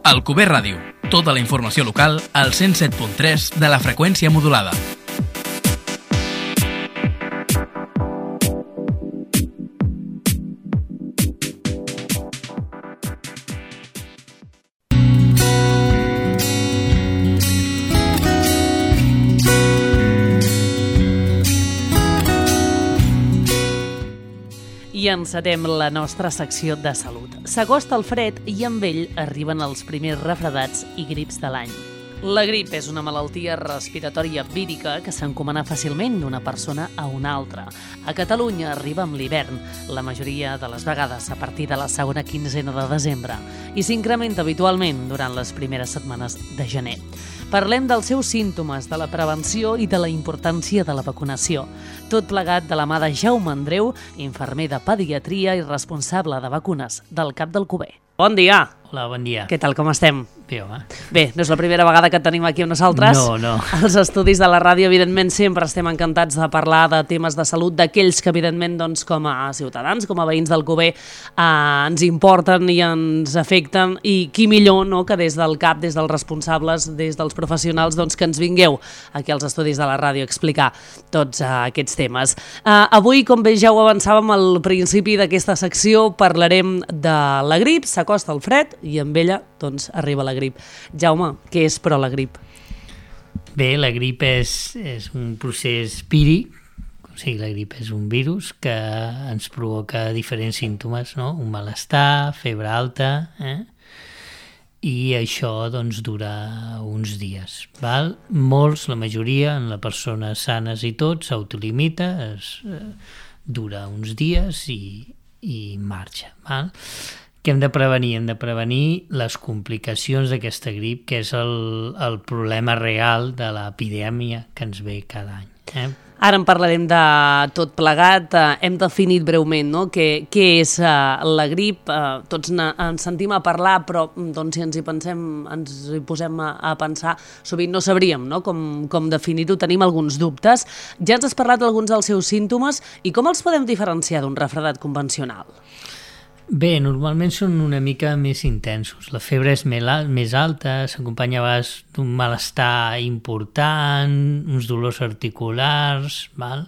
Alcover Ràdio. Tota la informació local al 107.3 de la freqüència modulada. I encetem la nostra secció de salut. S'acosta el fred i amb ell arriben els primers refredats i grips de l'any. La grip és una malaltia respiratòria vírica que s'encomana fàcilment d'una persona a una altra. A Catalunya arriba amb l'hivern, la majoria de les vegades a partir de la segona quinzena de desembre, i s'incrementa habitualment durant les primeres setmanes de gener. Parlem dels seus símptomes, de la prevenció i de la importància de la vacunació. Tot plegat de la mà de Jaume Andreu, infermer de pediatria i responsable de vacunes del CAP d'Alcover. Bon dia! Hola, bon dia. Què tal, com estem? Bé, home. Bé, no és la primera vegada que et tenim aquí amb nosaltres. No. Els estudis de la ràdio, evidentment, sempre estem encantats de parlar de temes de salut, d'aquells que, evidentment, doncs, com a ciutadans, com a veïns d'Alcover, ens importen i ens afecten, i qui millor, no?, que des del CAP, des dels responsables, des dels professionals, doncs, que ens vingueu aquí als estudis de la ràdio a explicar tots aquests temes. Avui, com bé ja ho avançàvem al principi d'aquesta secció, parlarem de la grip, s'acosta el fred i amb ella doncs, arriba la grip. Jaume, què és però la grip? Bé, la grip és un procés víric, o sigui, la grip és un virus que ens provoca diferents símptomes, no? Un malestar, febre alta, i això doncs, dura uns dies. Val? Molts, la majoria, en les persones sanes i tot, s'autolimita, dura uns dies i marxa. Val? Què hem de prevenir? Hem de prevenir les complicacions d'aquesta grip, que és el problema real de l'epidèmia que ens ve cada any. Ara en parlarem de tot plegat. Hem definit breument, no?, què és la grip. Tots ens sentim a parlar, però doncs, si ens hi posem a pensar, sovint no sabríem, no?, com definir-ho, tenim alguns dubtes. Ja ens has parlat d'alguns dels seus símptomes i com els podem diferenciar d'un refredat convencional? Bé, normalment són una mica més intensos. La febre és més alta, s'acompanya a vegades d'un malestar important, uns dolors articulars, val?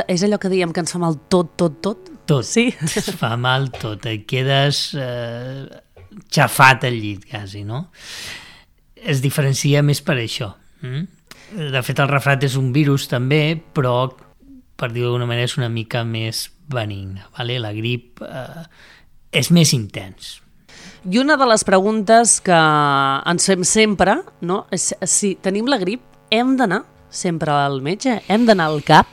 És allò que diem que ens fa mal tot? Tot, sí? Es fa mal tot, et quedes xafat al llit quasi, no? Es diferencia més per això. De fet, el refredat és un virus també, però per dir-ho d'alguna manera és una mica més benigne, vale? La grip és més intens. I una de les preguntes que ens fem sempre, no?, és si tenim la grip, hem d'anar sempre al metge? Hem d'anar al CAP?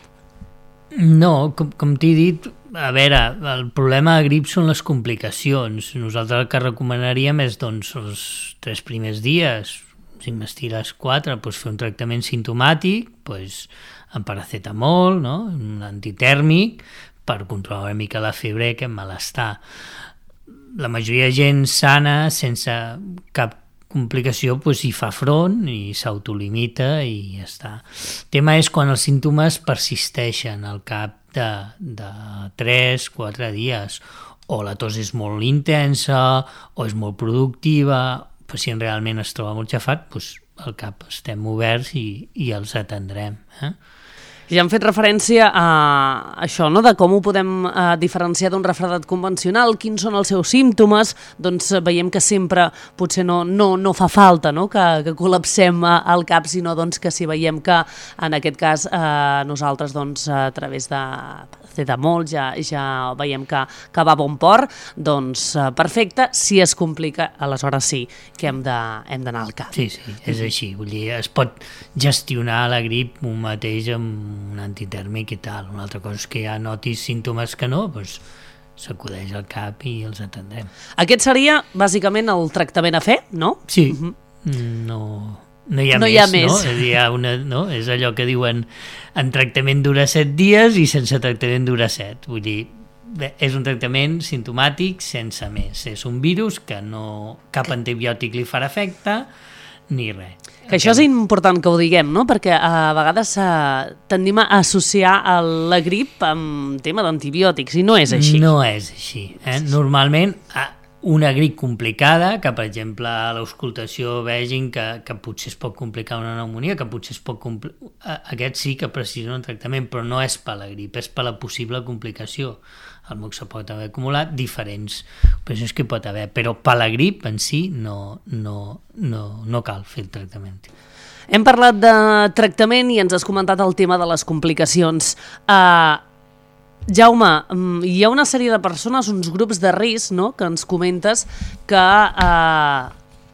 No, com t'he dit, a veure, el problema de grip són les complicacions. Nosaltres el que recomanaríem és, doncs, els 3 primers dies, si m'estires 4, doncs fer un tractament simptomàtic, doncs amb paracetamol, no?, un antitèrmic, per controlar una mica la febre i aquest malestar. La majoria de gent sana, sense cap complicació, doncs hi fa front i s'autolimita i ja està. El tema és quan els símptomes persisteixen al cap de 3-4 dies, o la tos és molt intensa, o és molt productiva, el pacient realment es troba molt xafat, doncs al CAP estem oberts i els atendrem. Ja hem fet referència a això, no?, de com ho podem diferenciar d'un refredat convencional, quins són els seus símptomes. Doncs veiem que sempre potser no fa falta, no?, que col·lapsem al CAP, sinó doncs, que si veiem que en aquest cas nosaltres doncs, a través de paracetamol ja veiem que va a bon port, doncs perfecte. Si es complica, aleshores sí que hem d'anar al CAP. Sí, és així. Vull dir, es pot gestionar la grip un mateix amb un antitèrmic i tal. Una altra cosa és que ja notis símptomes que no, doncs s'acudeix al CAP i els atendrem. Aquest seria bàsicament el tractament a fer, no? Sí, no hi ha més. No? És allò que diuen en tractament dura 7 dies i sense tractament dura 7. Vull dir, bé, és un tractament simptomàtic sense més. És un virus que cap antibiòtic li farà efecte ni res. Que això és important que ho diguem, no?, perquè a vegades tendim a associar la grip amb tema d'antibiòtics, i no és així. No és així. Normalment una grip complicada, que per exemple a l'auscultació vegin que potser es pot complicar una pneumonia, que potser es pot aquest sí que precisa un tractament, però no és per la grip, és per la possible complicació. El moc se pot haver acumulat diferents operacions que pot haver, però per la grip en si no cal fer el tractament. Hem parlat de tractament i ens has comentat el tema de les complicacions. Jaume, hi ha una sèrie de persones, uns grups de risc, no?, que ens comentes que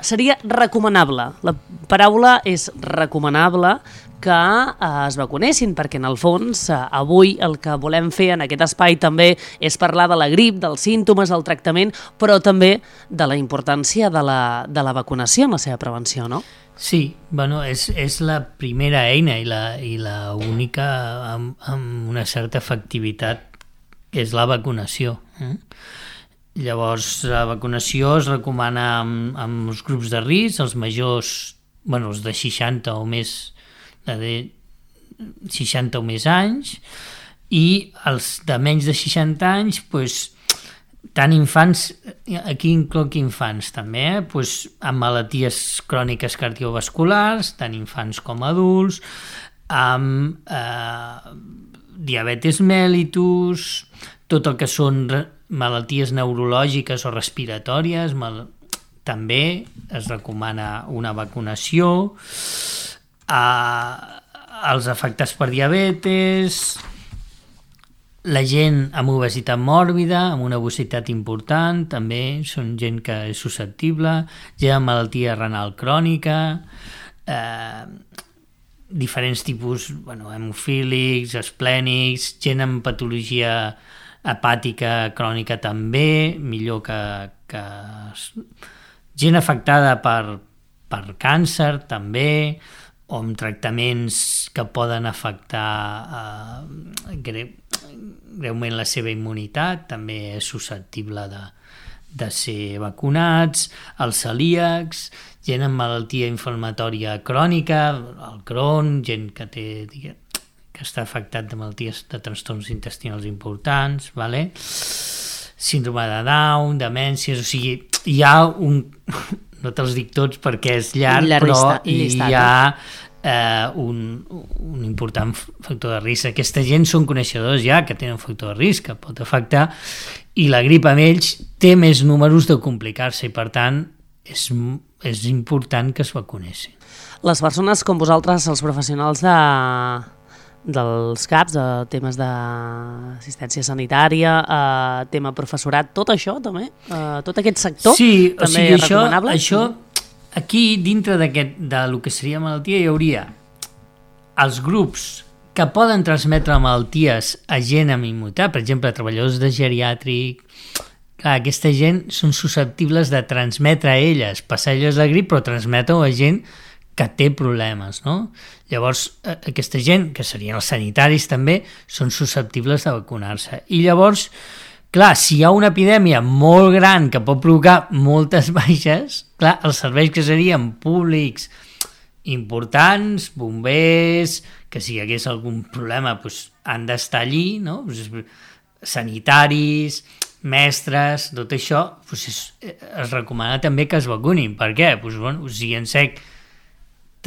seria recomanable. La paraula és recomanable que es vacunessin, perquè en el fons avui el que volem fer en aquest espai també és parlar de la grip, dels símptomes, del tractament, però també de la importància de la vacunació en la seva prevenció, no? Sí, bueno, és la primera eina i la única amb una certa efectivitat, que és la vacunació. Llavors, la vacunació es recomana amb els grups de risc, els majors, bueno, els de 60 o més, de 60 o més anys, i els de menys de 60 anys, doncs, tant infants, aquí incloc infants també, amb malalties cròniques cardiovasculars, tant infants com adults, amb diabetes mellitus, tot el que són malalties neurològiques o respiratòries, també es recomana una vacunació, els afectats per diabetes, la gent amb obesitat mòrbida, amb una obesitat important, també són gent que és susceptible, gent amb malaltia renal crònica, diferents tipus, hemofílics, esplènics, gent amb patologia hepàtica crònica també, millor que gent afectada per càncer també, o amb tractaments que poden afectar greument la seva immunitat, també és susceptible de ser vacunats, els celíacs, gent amb malaltia inflamatòria crònica, el Crohn, gent que està afectat de malalties de trastorns intestinals importants, síndrome de Down, demències, o sigui, hi ha no te'ls dic tots perquè és llarg, però hi ha un important factor de risc. Aquesta gent són coneixedors ja que tenen un factor de risc que pot afectar, i la grip amb ells té més números de complicar-se i per tant és important que es vacunessin. Les persones com vosaltres, els professionals dels CAPs, de temes d'assistència sanitària, tema professorat, tot això també, tot aquest sector, sí, també és recomanable? Això, aquí dintre del que seria malaltia hi hauria els grups que poden transmetre malalties a gent amb immunitat, per exemple, treballadors de geriàtric. Clar, aquesta gent són susceptibles de transmetre a elles, passar elles la grip, però transmetre a gent que té problemes, no? Llavors, aquesta gent, que serien els sanitaris també, són susceptibles de vacunar-se. I llavors, clar, si hi ha una epidèmia molt gran que pot provocar moltes baixes, clar, els serveis que serien públics importants, bombers, que si hi hagués algun problema han d'estar allí, no? Sanitaris, mestres, tot això, es recomana també que es vacunin. Per què? Si en sec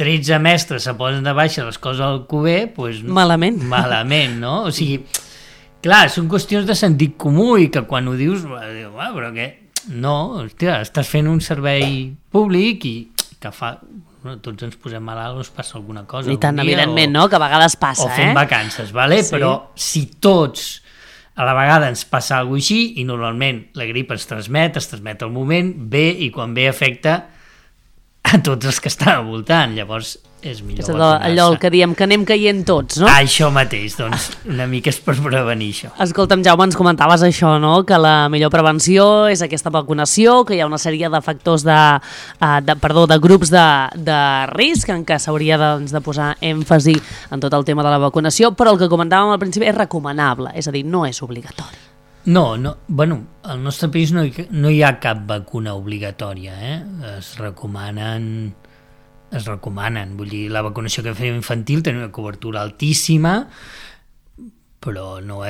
13 mestres se posen de baixa les coses al cuber, malament, no? O sigui, clar, són qüestions de sentit comú i que quan ho dius, però què? No, hòstia, estàs fent un servei públic i que fa... tots ens posem malalts, ens passa alguna cosa. I tant, evidentment, no? Que a vegades passa, o fem vacances, vale? Sí. Però si tots a la vegada ens passa alguna cosa així, i normalment la grip es transmet al moment, ve, i quan ve afecta a tots els que estan al voltant, llavors és millor vacunar-se. Allò el que diem, que anem caient tots, no? Això mateix, doncs una mica és per prevenir això. Escolta'm, Jaume, ens comentaves això, no? Que la millor prevenció és aquesta vacunació, que hi ha una sèrie de factors de grups de risc en què s'hauria de posar èmfasi en tot el tema de la vacunació, però el que comentàvem al principi és recomanable, és a dir, no és obligatori. No, bueno, al nostre país no hi ha cap vacuna obligatòria, es recomanen, vull dir, la vacunació que fem infantil té una cobertura altíssima, però no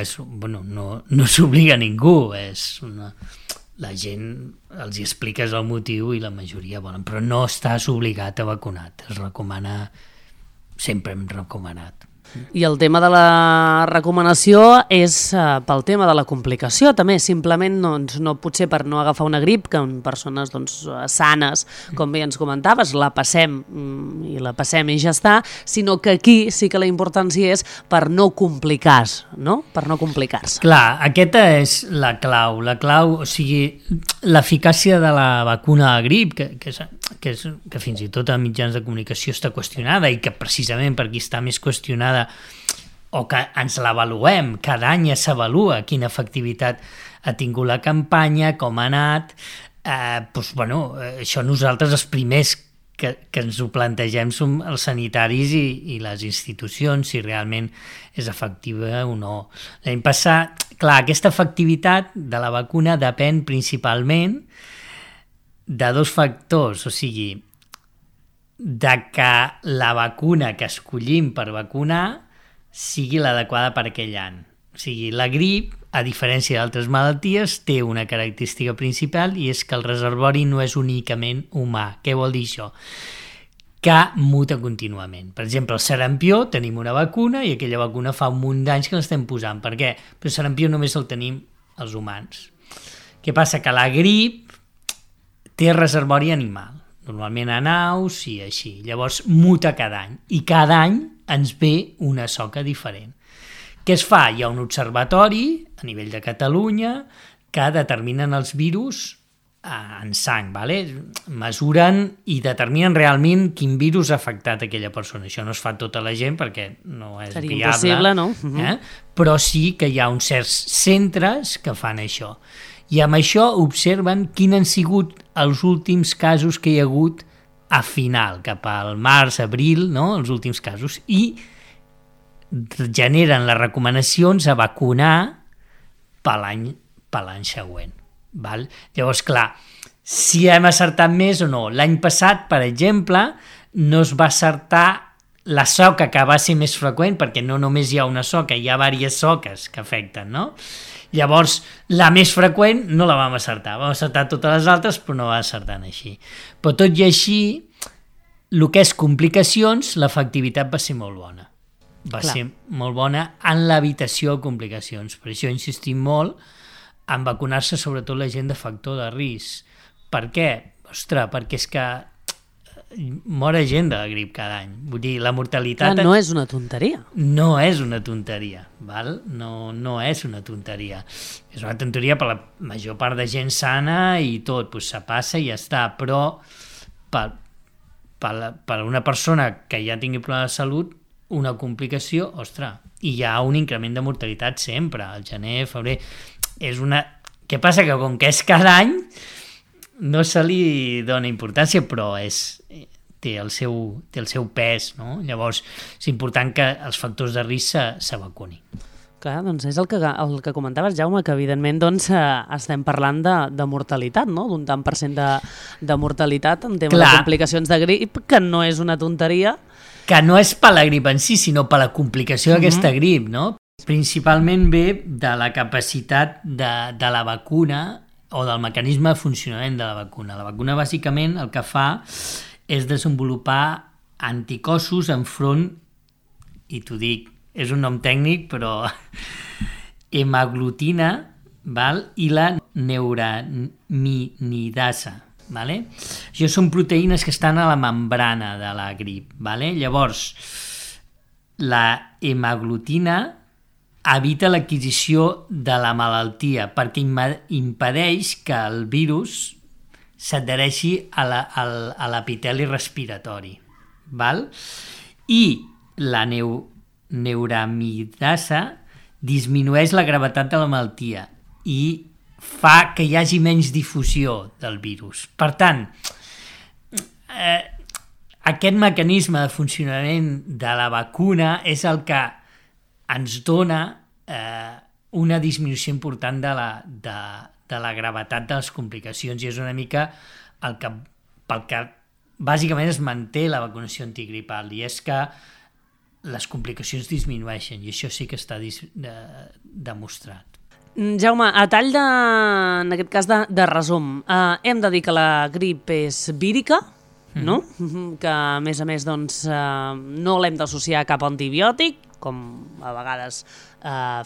s'obliga a ningú, la gent els hi expliques el motiu i la majoria volen, però no estàs obligat a vacunar-te, es recomana, sempre hem recomanat. I el tema de la recomanació és pel tema de la complicació, també, simplement no potser per no agafar una grip, que en persones sanes, com bé ens comentaves, la passem i ja està, sinó que aquí sí que la importància és per no complicar-se, no? Per no complicar-se. Clar, aquesta és la clau, o sigui, l'eficàcia de la vacuna de grip, que fins i tot a mitjans de comunicació està qüestionada i que precisament per aquí està més qüestionada o que ens l'avaluem, cada any s'avalua quina efectivitat ha tingut la campanya, com ha anat, això nosaltres els primers que ens ho plantegem som els sanitaris i les institucions, si realment és efectiva o no. L'any passat, clar, aquesta efectivitat de la vacuna depèn principalment de dos factors, o sigui, de que la vacuna que escollim per vacunar sigui l'adequada per aquell any. O sigui, la grip, a diferència d'altres malalties, té una característica principal i és que el reservori no és únicament humà. Què vol dir això? Que muta contínuament. Per exemple, el sarampió, tenim una vacuna i aquella vacuna fa un munt d'anys que l'estem posant. Per què? Però el sarampió només el tenim els humans. Què passa? Que la grip té reservori animal, normalment en aus i així. Llavors muta cada any i cada any ens ve una soca diferent. Què es fa? Hi ha un observatori a nivell de Catalunya que determinen els virus en sang, ¿vale? Mesuren i determinen realment quin virus ha afectat aquella persona. Això no es fa tota la gent perquè no és seria viable. Impossible, no? Però sí que hi ha uns certs centres que fan això. I amb això observen quins han sigut els últims casos que hi ha hagut a final, cap al març, abril, no? Els últims casos, i generen les recomanacions a vacunar per l'any següent. Val? Llavors, clar, si hem acertat més o no. L'any passat, per exemple, no es va acertar la soca, que va ser més freqüent, perquè no només hi ha una soca, hi ha diverses soques que afecten, no? Llavors, la més freqüent no la vam acertar. Vam acertar totes les altres, però no va acertant així. Però tot i així, el que és complicacions, l'efectivitat va ser molt bona. Va ser molt bona en l'evitació de complicacions. Per això insistim molt en vacunar-se sobretot la gent de factor de risc. Per què? Ostres, perquè és que mor gent de la grip cada any. Vull dir, la mortalitat... No és una tonteria. No és una tonteria, val? No és una tonteria. És una tonteria per la major part de gent sana i tot, doncs se passa i ja està, però per una persona que ja tingui problemes de salut, una complicació, ostres, i hi ha un increment de mortalitat sempre, al gener, febrer... Què passa? Que com que és cada any, no se li dona importància, però té el seu pes, no? Llavors és important que els factors de risc se vacunin. Clar, doncs és el que comentaves, Jaume, que evidentment estem parlant de mortalitat, no? D'un tant per cent de mortalitat en tema de complicacions de grip, que no és una tonteria. Que no és per la grip en si, sinó per la complicació d'aquesta grip, no? Principalment ve de la capacitat de la vacuna o del mecanisme de funcionament de la vacuna. La vacuna, bàsicament, el que fa és desenvolupar anticossos enfront, i t'ho dic, és un nom tècnic, però hemaglutina, val? I la neuraminidasa. Vale? Això són proteïnes que estan a la membrana de la grip. Vale? Llavors, la hemaglutina evita l'adquisició de la malaltia perquè impedeix que el virus s'adhereixi a l'epiteli respiratori. Val? I la neuramidasa disminueix la gravetat de la malaltia i fa que hi hagi menys difusió del virus. Per tant, aquest mecanisme de funcionament de la vacuna és el que ens dona una disminució important de la gravetat de les complicacions i és una mica pel que bàsicament es manté la vacunació antigripal i és que les complicacions disminueixen i això sí que està demostrat. Jaume, a tall de, en aquest cas de resum, hem de dir que la grip és vírica, no? Que a més doncs, no l'hem d'associar a cap antibiòtic, com a vegades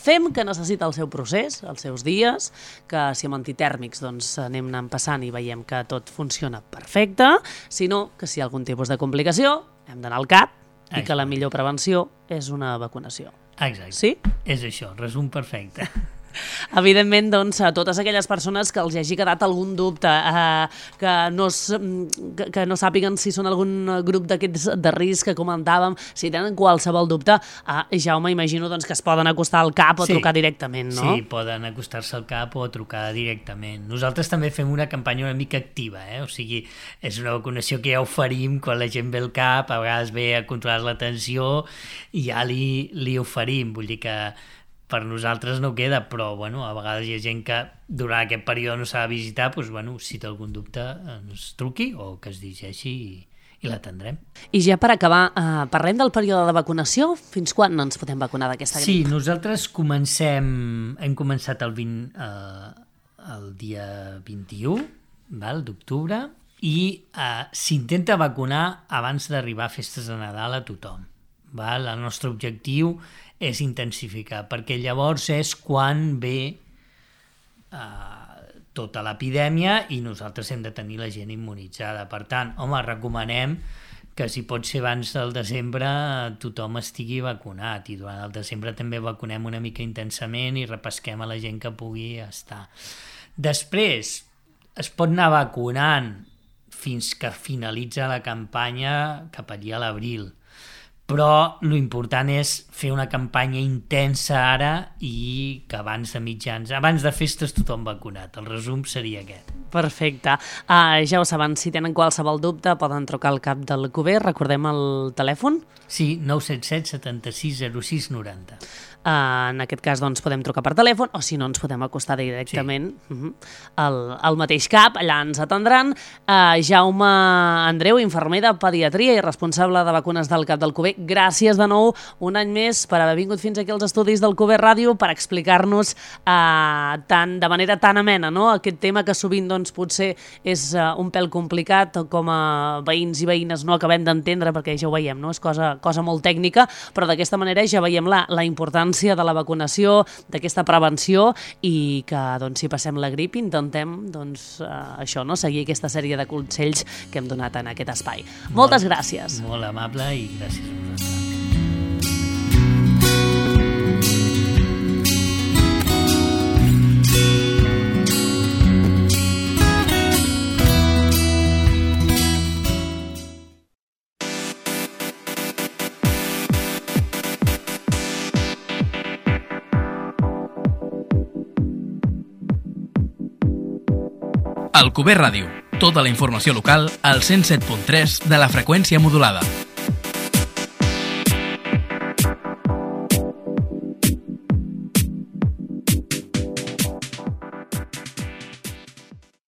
fem, que necessita el seu procés, els seus dies, que si amb antitèrmics doncs, anem anant passant i veiem que tot funciona perfecte, sinó que si hi ha algun tipus de complicació hem d'anar al CAP i que la millor prevenció és una vacunació. Exacte. Sí? És això, resum perfecte. Evidentment, doncs, a totes aquelles persones que els hagi quedat algun dubte, que no sàpiguen si són algun grup d'aquests de risc que comentàvem, si tenen qualsevol dubte, Jaume, imagino doncs, que es poden acostar al CAP o trucar directament, no? Sí, poden acostar-se al CAP o trucar directament. Nosaltres també fem una campanya una mica activa, o sigui, és una vacunació que ja oferim quan la gent ve al CAP, a vegades ve a controlar la tensió i ja li oferim, vull dir que per nosaltres no queda, però bueno, a vegades hi ha gent que durant aquest període no s'ha de visitar, doncs, bueno, si té algun dubte ens truqui o que es dirigeixi i l'atendrem. I ja per acabar, parlem del període de vacunació. Fins quan ens podem vacunar d'aquesta grip? Sí, nosaltres hem començat el dia 21 d'octubre i s'intenta vacunar abans d'arribar a festes de Nadal a tothom. El nostre objectiu és intensificar, perquè llavors és quan ve tota l'epidèmia i nosaltres hem de tenir la gent immunitzada. Per tant, home, recomanem que si pot ser abans del desembre tothom estigui vacunat i durant el desembre també vacunem una mica intensament i repesquem a la gent que pugui estar. Després es pot anar vacunant fins que finalitza la campanya cap allí a l'abril, però l'important és fer una campanya intensa ara i que abans de festes tothom vacunat. El resum seria aquest. Perfecte. Ja ho saben, si tenen qualsevol dubte poden trucar al CAP del Cuber. Recordem el telèfon? Sí, 977 76 06 90. En aquest cas doncs, podem trucar per telèfon o si no ens podem acostar directament al mateix CAP, allà ens atendran. Jaume Andreu, infermer de pediatria i responsable de vacunes del CAP del Cuber, gràcies de nou un any més per haver vingut fins aquí als estudis del Cuber Ràdio per explicar-nos de manera tan amena, no? Aquest tema que sovint doncs, potser és un pèl complicat, com a veïns i veïnes no acabem d'entendre perquè ja ho veiem, no? És cosa molt tècnica, però d'aquesta manera ja veiem la importància de la vacunació, d'aquesta prevenció i que doncs, si passem la grip intentem doncs, això, no? Seguir aquesta sèrie de consells que hem donat en aquest espai. Moltes gràcies. Molt amable i gràcies a vosaltres. Alcover Ràdio. Tota la informació local al 107.3 de la freqüència modulada.